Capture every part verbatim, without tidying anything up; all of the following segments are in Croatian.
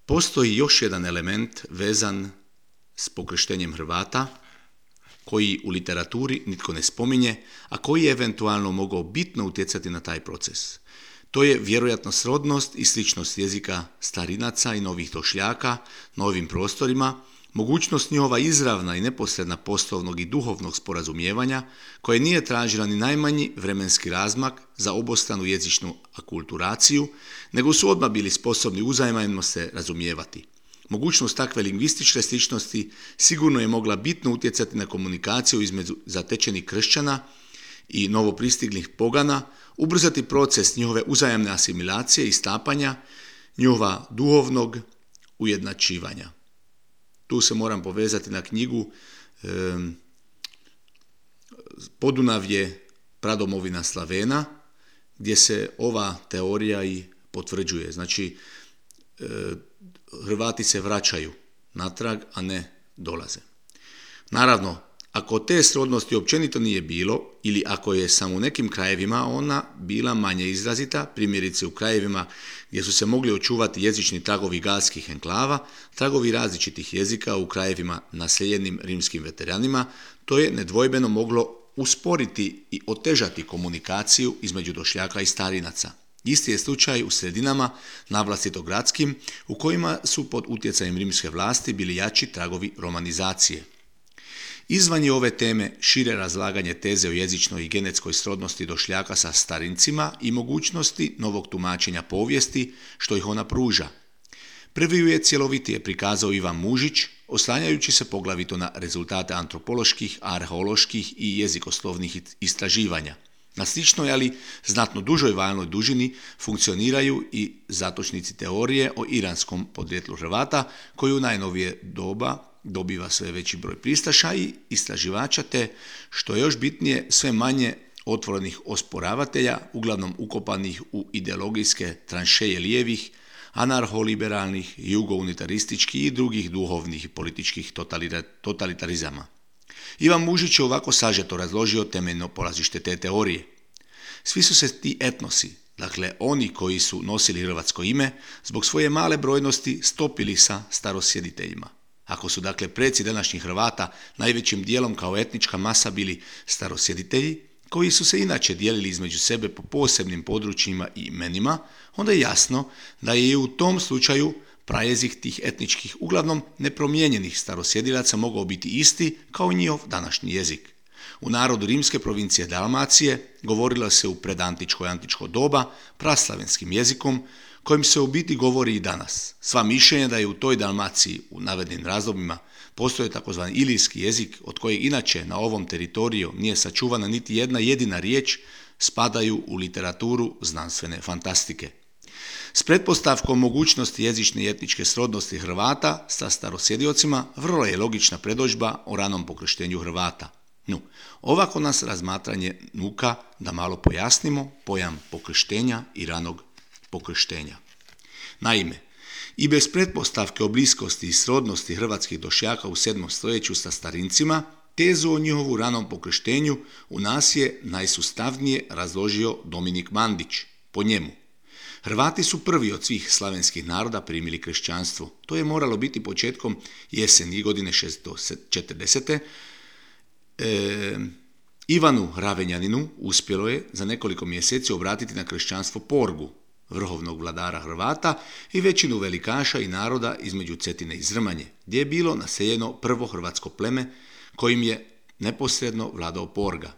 Postoji još jedan element vezan s pokrštenjem Hrvata, koji u literaturi nitko ne spominje, a koji je eventualno mogao bitno utjecati na taj proces. To je vjerojatno srodnost i sličnost jezika starinaca i novih došljaka na ovim prostorima, mogućnost njihova izravna i neposredna poslovnog i duhovnog sporazumijevanja, koje nije tražila ni najmanji vremenski razmak za obostranu jezičnu akulturaciju, nego su odmah bili sposobni uzajamno se razumijevati. Mogućnost takve lingvističke sličnosti sigurno je mogla bitno utjecati na komunikaciju između zatečenih kršćana i novopristiglih pogana, ubrzati proces njihove uzajamne asimilacije i stapanja, njihova duhovnog ujednačivanja. Tu se moram povezati na knjigu e, Podunavlje, pradomovina Slavena, gdje se ova teorija i potvrđuje. Znači, e, Hrvati se vraćaju natrag, a ne dolaze. Naravno, ako te srodnosti općenito nije bilo, ili ako je samo u nekim krajevima ona bila manje izrazita, primjerice u krajevima gdje su se mogli očuvati jezični tragovi galskih enklava, tragovi različitih jezika u krajevima naseljenim rimskim veteranima, to je nedvojbeno moglo usporiti i otežati komunikaciju između došljaka i starinaca. Isti je slučaj u sredinama, navlastito gradskim, u kojima su pod utjecajem rimske vlasti bili jači tragovi romanizacije. Izvan je ove teme šire razlaganje teze o jezičnoj i genetskoj srodnosti došljaka sa starincima i mogućnosti novog tumačenja povijesti što ih ona pruža. Prvi ju je cjelovitije prikazao Ivan Mužić, oslanjajući se poglavito na rezultate antropoloških, arheoloških i jezikoslovnih istraživanja. Na sličnoj, ali znatno dužoj valnoj dužini funkcioniraju i zatočnici teorije o iranskom podrijetlu Hrvata, koji u najnovije doba dobiva sve veći broj pristaša i istraživača, te, što je još bitnije, sve manje otvorenih osporavatelja, uglavnom ukopanih u ideologijske tranšeje lijevih, anarholiberalnih, jugounitarističkih i drugih duhovnih i političkih totalitarizama. Ivan Mužić je ovako sažeto razložio temeljno polazište te teorije. Svi su se ti etnosi, dakle oni koji su nosili hrvatsko ime, zbog svoje male brojnosti stopili sa starosjediteljima. Ako su dakle preci današnjih Hrvata najvećim dijelom kao etnička masa bili starosjeditelji, koji su se inače dijelili između sebe po posebnim područjima i imenima, onda je jasno da je i u tom slučaju prajezik tih etničkih, uglavnom nepromijenjenih starosjedilaca mogao biti isti kao njihov današnji jezik. U narodu rimske provincije Dalmacije govorilo se u predantičko i antičko doba praslavenskim jezikom, kojim se u biti govori i danas. Sva mišljenja da je u toj Dalmaciji u navedenim razdobljima postoji takozvani ilijski jezik, od kojeg inače na ovom teritoriju nije sačuvana niti jedna jedina riječ, spadaju u literaturu znanstvene fantastike. S pretpostavkom mogućnosti jezične i etničke srodnosti Hrvata sa starosjediocima vrlo je logična predodžba o ranom pokrštenju Hrvata. No, ovako nas razmatranje nuka da malo pojasnimo pojam pokrštenja i ranog pokrštenja. Naime, i bez pretpostavke o bliskosti i srodnosti hrvatskih došljaka u sedmom stoljeću sa starincima, tezu o njihovu ranom pokrštenju u nas je najsustavnije razložio Dominik Mandić. Po njemu, Hrvati su prvi od svih slavenskih naroda primili kršćanstvo. To je moralo biti početkom jeseni godine šesto četrdesete. E, Ivanu Ravenjaninu uspjelo je za nekoliko mjeseci obratiti na kršćanstvo Porgu, vrhovnog vladara Hrvata i većinu velikaša i naroda između Cetine i Zrmanje, gdje je bilo naseljeno prvo hrvatsko pleme kojim je neposredno vladao Porga.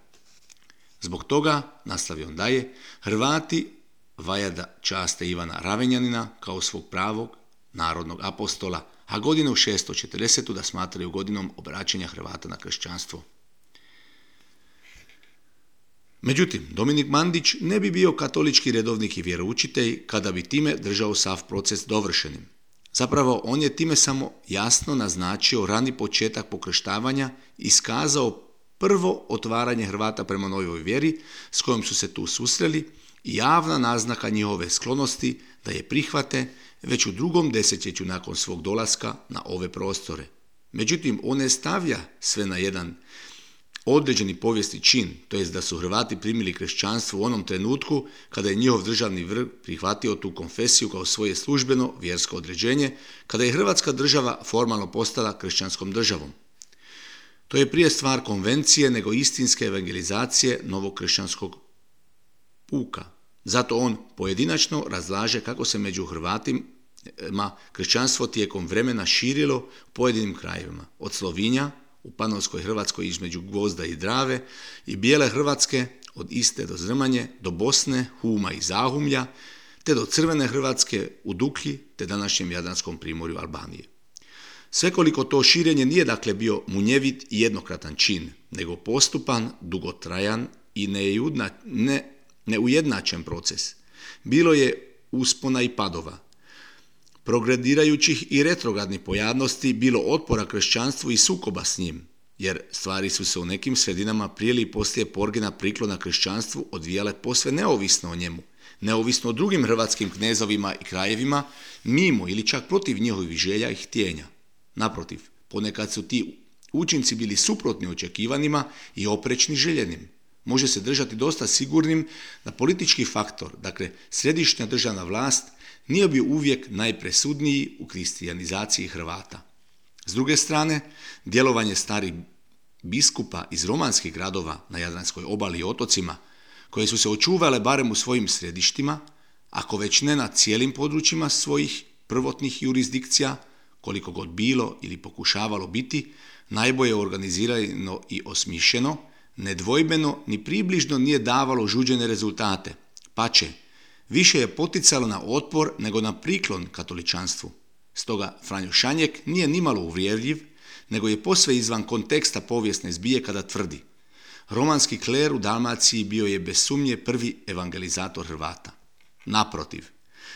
Zbog toga, nastavio on dalje, Hrvati vajada časte Ivana Ravenjanina kao svog pravog narodnog apostola, a godinu šesto četrdesetu da smatraju godinom obraćanja Hrvata na kršćanstvo. Međutim, Dominik Mandić ne bi bio katolički redovnik i vjeroučitelj kada bi time držao sav proces dovršenim. Zapravo, on je time samo jasno naznačio rani početak pokrštavanja i iskazao prvo otvaranje Hrvata prema novoj vjeri s kojom su se tu susreli i javna naznaka njihove sklonosti da je prihvate već u drugom desetljeću nakon svog dolaska na ove prostore. Međutim, on ne stavlja sve na jedan određeni povijesni čin, to jest da su Hrvati primili kršćanstvo u onom trenutku kada je njihov državni vrh prihvatio tu konfesiju kao svoje službeno vjersko određenje, kada je Hrvatska država formalno postala kršćanskom državom. To je prije stvar konvencije nego istinske evangelizacije novog kršćanskog puka. Zato on pojedinačno razlaže kako se među Hrvatima kršćanstvo tijekom vremena širilo u pojedinim krajevima, od Slovinja u Panonskoj Hrvatskoj između Gvozda i Drave i Bijele Hrvatske od Iste do Zrmanje, do Bosne, Huma i Zahumlja, te do Crvene Hrvatske u Duklji te današnjem Jadranskom primorju Albanije. Svekoliko to širenje nije dakle bio munjevit i jednokratan čin, nego postupan, dugotrajan i neudna, ne, neujednačen proces. Bilo je uspona i padova, progredirajućih i retrogradnih pojavnosti, bilo otpora kršćanstvu i sukoba s njim, jer stvari su se u nekim sredinama prije ili poslije porgena priklona kršćanstvu odvijale posve neovisno o njemu, neovisno o drugim hrvatskim knezovima i krajevima, mimo ili čak protiv njihovih želja i htjenja. Naprotiv, ponekad su ti učinci bili suprotni očekivanima i oprečni željenim. Može se držati dosta sigurnim da politički faktor, dakle središnja državna vlast, nije bio uvijek najpresudniji u kristijanizaciji Hrvata. S druge strane, djelovanje starih biskupa iz romanskih gradova na Jadranskoj obali i otocima, koje su se očuvale barem u svojim središtima, ako već ne na cijelim područjima svojih prvotnih jurisdikcija, koliko god bilo ili pokušavalo biti, najbolje organizirano i osmišljeno, nedvojbeno ni približno nije davalo žuđene rezultate, pače, više je poticalo na otpor nego na priklon katoličanstvu. Stoga Franjo Šanjek nije nimalo uvjerljiv, nego je posve izvan konteksta povijesne zbije kada tvrdi: romanski kler u Dalmaciji bio je bez sumnje prvi evangelizator Hrvata. Naprotiv,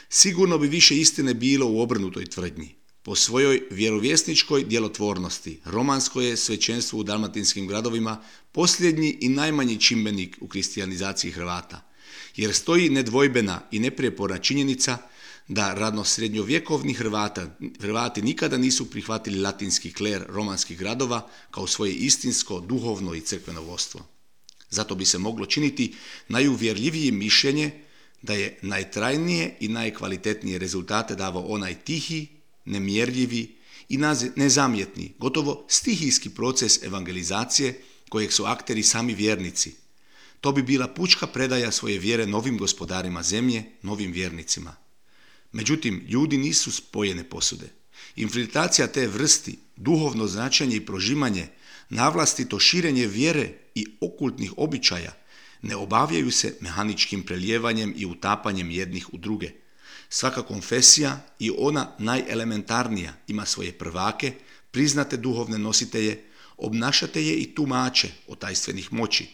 sigurno bi više istine bilo u obrnutoj tvrdnji. Po svojoj vjerovjesničkoj djelotvornosti, romansko je svećenstvo u dalmatinskim gradovima posljednji i najmanji čimbenik u kristijanizaciji Hrvata, jer stoji nedvojbena i neprijeporna činjenica da radnosrednjovjekovni Hrvata, Hrvati nikada nisu prihvatili latinski kler romanskih gradova kao svoje istinsko, duhovno i crkveno vodstvo. Zato bi se moglo činiti najuvjerljivije mišljenje da je najtrajnije i najkvalitetnije rezultate davao onaj tihi, nemjerljivi i nezamjetni, gotovo stihijski proces evangelizacije kojeg su akteri sami vjernici. To bi bila pučka predaja svoje vjere novim gospodarima zemlje, novim vjernicima. Međutim, ljudi nisu spojene posude. Infiltracija te vrsti, duhovno značenje i prožimanje, navlastito širenje vjere i okultnih običaja ne obavljaju se mehaničkim prelijevanjem i utapanjem jednih u druge. Svaka konfesija, i ona najelementarnija, ima svoje prvake, priznate duhovne nositelje, obnašatelje i tumače otajstvenih moći.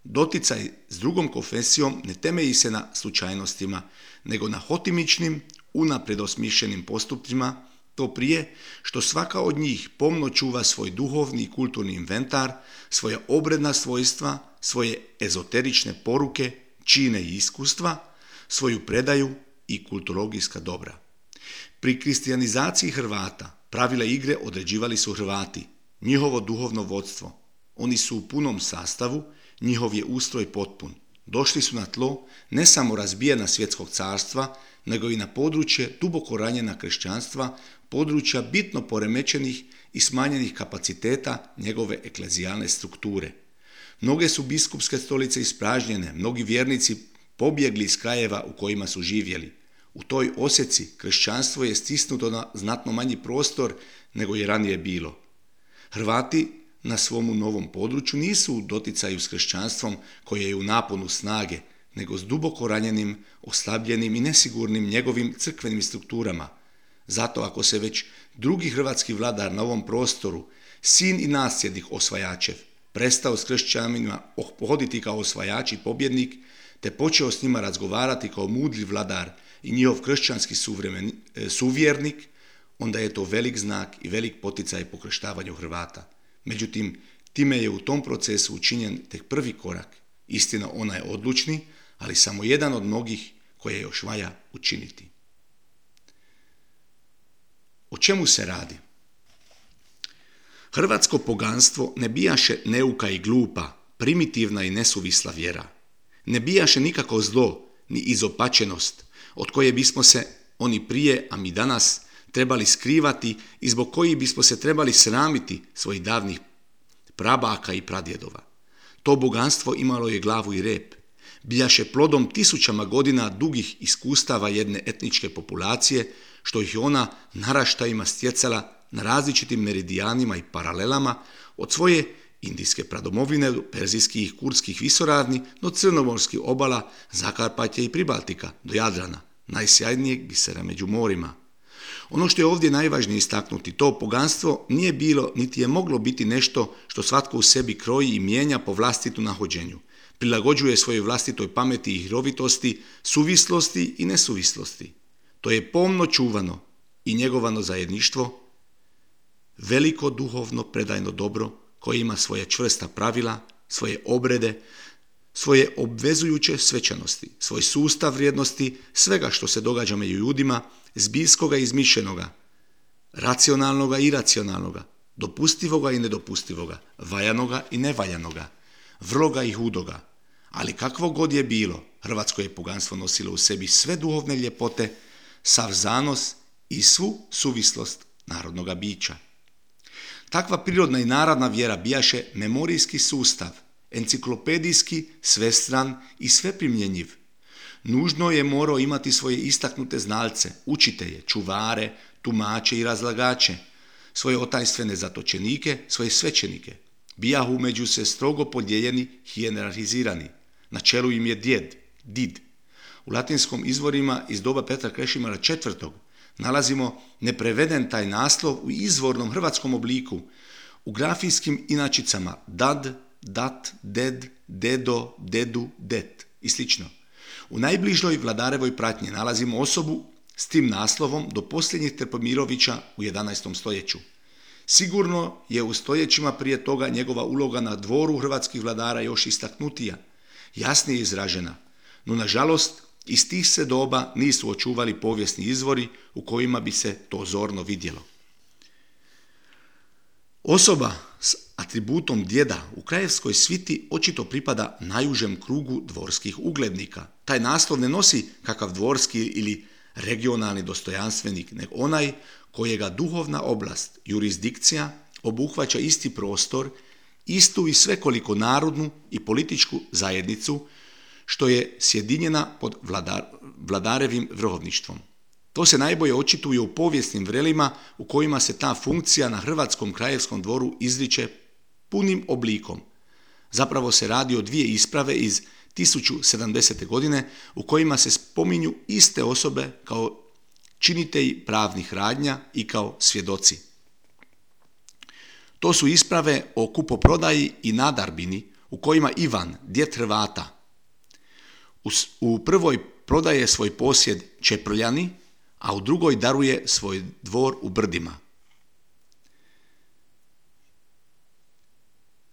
Doticaj s drugom konfesijom ne temelji se na slučajnostima, nego na hotimičnim, unaprijed osmišljenim postupcima, to prije što svaka od njih pomno čuva svoj duhovni i kulturni inventar, svoja obredna svojstva, svoje ezoterične poruke, čine i iskustva, svoju predaju i kulturologijska dobra. Pri kristijanizaciji Hrvata pravila igre određivali su Hrvati, njihovo duhovno vodstvo. Oni su u punom sastavu, njihov je ustroj potpun. Došli su na tlo ne samo razbijena svjetskog carstva, nego i na područje duboko ranjena kršćanstva, područja bitno poremećenih i smanjenih kapaciteta njegove eklezijalne strukture. Mnoge su biskupske stolice ispražnjene, mnogi vjernici pobjegli iz krajeva u kojima su živjeli. U toj osjeci kršćanstvo je stisnuto na znatno manji prostor nego je ranije bilo. Hrvati na svomu novom području nisu u doticaju s kršćanstvom koje je u naponu snage, nego s duboko ranjenim, oslabljenim i nesigurnim njegovim crkvenim strukturama. Zato ako se već drugi hrvatski vladar na ovom prostoru, sin i nasljednik osvajačev, prestao s kršćanima pohoditi kao osvajač i pobjednik, te počeo s njima razgovarati kao mudri vladar i njihov kršćanski suvremen, suvjernik, onda je to velik znak i velik poticaj pokrštavanju Hrvata. Međutim, time je u tom procesu učinjen tek prvi korak. Istina, ona je odlučni, ali samo jedan od mnogih koje još valja učiniti. O čemu se radi? Hrvatsko poganstvo ne bijaše neuka i glupa, primitivna i nesuvisla vjera. Ne bijaše nikako zlo, ni izopačenost, od koje bismo se oni prije, a mi danas, trebali skrivati i zbog kojih bismo se trebali sramiti svojih davnih prabaka i pradjedova. To boganstvo imalo je glavu i rep, bijaše plodom tisućama godina dugih iskustava jedne etničke populacije, što ih je ona naraštajima stjecala na različitim meridijanima i paralelama od svoje indijske pradomovine do perzijskih i kurdskih visoravni do crnomorskih obala, Zakarpatja i Pribaltika do Jadrana, najsjajnijeg bisera među morima. Ono što je ovdje najvažnije istaknuti, to poganstvo nije bilo niti je moglo biti nešto što svatko u sebi kroji i mijenja po vlastitu nahođenju, prilagođuje svojoj vlastitoj pameti i hirovitosti, suvislosti i nesuvislosti. To je pomno čuvano i njegovano zajedništvo, veliko duhovno predajno dobro koje ima svoje čvrsta pravila, svoje obrede, svoje obvezujuće svečanosti, svoj sustav vrijednosti, svega što se događa među ljudima, zbiljskoga i izmišljenoga, racionalnoga i iracionalnoga, dopustivoga i nedopustivoga, valjanoga i nevaljanoga, vrloga i hudoga. Ali kakvo god je bilo, hrvatsko je poganstvo nosilo u sebi sve duhovne ljepote, sav zanos i svu suvislost narodnoga bića. Takva prirodna i narodna vjera bijaše memorijski sustav, enciklopedijski, svestran i sveprimjenjiv. Nužno je morao imati svoje istaknute znalce, učitelje, čuvare, tumače i razlagače, svoje otajstvene zatočenike, svoje svećenike. Bijahu među se strogo podijeljeni, hijerarhizirani. Na čelu im je djed, did. U latinskom izvorima iz doba Petra Krešimira četvrtog nalazimo nepreveden taj naslov u izvornom hrvatskom obliku, u grafijskim inačicama dad, dat, ded, dedo, dedu, det i slično. U najbližoj vladarevoj pratnji nalazimo osobu s tim naslovom do posljednjih Trpimirovića u jedanaestom stoljeću. Sigurno je u stoljećima prije toga njegova uloga na dvoru hrvatskih vladara još istaknutija, jasnije izražena, no nažalost iz tih se doba nisu očuvali povijesni izvori u kojima bi se to zorno vidjelo. Osoba s atributom djeda u krajevskoj sviti očito pripada najužem krugu dvorskih uglednika. Taj naslov ne nosi kakav dvorski ili regionalni dostojanstvenik, nego onaj kojega duhovna oblast, jurisdikcija, obuhvaća isti prostor, istu i svekoliko narodnu i političku zajednicu, što je sjedinjena pod vladar, vladarevim vrhovništvom. To se najbolje očituje u povijesnim vrelima u kojima se ta funkcija na hrvatskom krajevskom dvoru izriče punim oblikom. Zapravo se radi o dvije isprave iz tisuću sedamdesete godine u kojima se spominju iste osobe kao činitelji pravnih radnja i kao svjedoci. To su isprave o kupoprodaji i nadarbini u kojima Ivan, djed Hrvata, u prvoj prodaje svoj posjed Čeprljani, a u drugoj daruje svoj dvor u Brdima.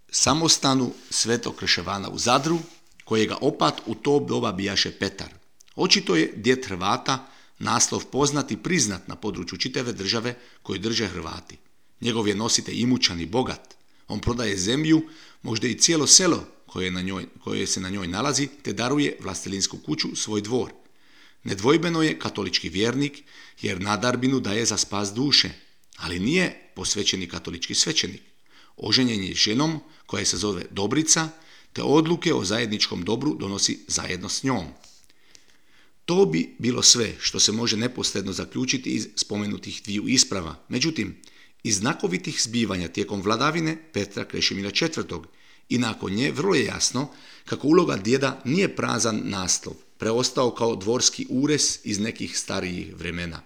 Samostanu Svetog Krševana u Zadru, kojega opat u to doba bijaše Petar. Očito je djed Hrvata naslov poznat i priznat na području čitave države koju drže Hrvati. Njegov je nositelj imućan i bogat. On prodaje zemlju, možda i cijelo selo koje, na njoj, koje se na njoj nalazi, te daruje vlastelinsku kuću, svoj dvor. Nedvojbeno je katolički vjernik, jer nadarbinu daje za spas duše, ali nije posvećeni katolički svećenik. Oženjen je ženom koja se zove Dobrica, te odluke o zajedničkom dobru donosi zajedno s njom. To bi bilo sve što se može neposredno zaključiti iz spomenutih dviju isprava. Međutim, iz znakovitih zbivanja tijekom vladavine Petra Krešimira četvrtog i nakon nje vrlo je jasno kako uloga djeda nije prazan naslov, preostao kao dvorski ures iz nekih starijih vremena.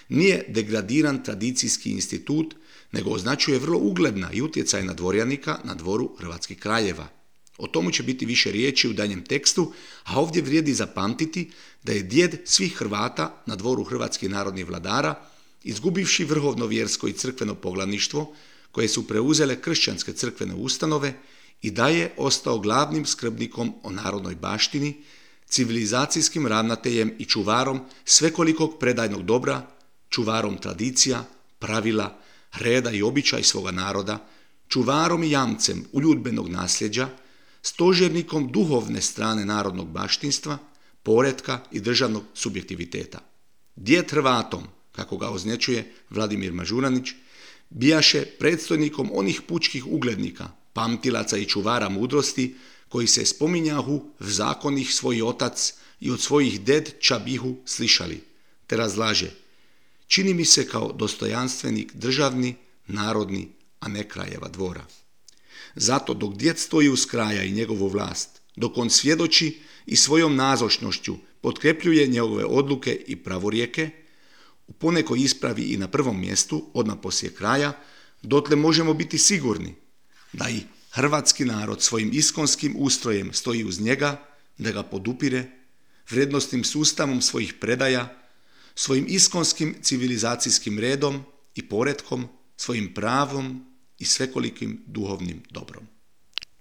Nije degradiran tradicijski institut, nego označuje vrlo ugledna i utjecajna dvorjanika na dvoru hrvatskih kraljeva. O tomu će biti više riječi u danjem tekstu, a ovdje vrijedi zapamtiti da je djed svih Hrvata na dvoru hrvatskih narodnih vladara, izgubivši vrhovno vjersko i crkveno poglavništvo, koje su preuzele kršćanske crkvene ustanove, i da je ostao glavnim skrbnikom o narodnoj baštini, civilizacijskim ravnateljem i čuvarom svekolikog predajnog dobra, čuvarom tradicija, pravila, reda i običaj svoga naroda, čuvarom i jamcem uljudbenog nasljeđa, stožernikom duhovne strane narodnog baštinstva, poretka i državnog subjektiviteta. Djed Hrvatom, kako ga označuje Vladimir Mažuranić, bijaše predstojnikom onih pučkih uglednika, pamtilaca i čuvara mudrosti, koji se spominjahu v zakonih svoj otac i od svojih ded čabihu slišali, te razlaže: čini mi se kao dostojanstvenik državni, narodni, a ne krajeva dvora. Zato dok djed stoji uz kraja i njegovu vlast, dok on svjedoči i svojom nazočnošću potkrepljuje njegove odluke i pravorijeke, u ponekoj ispravi i na prvom mjestu, odmah poslije kraja, dotle možemo biti sigurni da i hrvatski narod svojim iskonskim ustrojem stoji uz njega, da ga podupire, vrijednosnim sustavom svojih predaja, svojim iskonskim civilizacijskim redom i poretkom, svojim pravom i svekolikim duhovnim dobrom.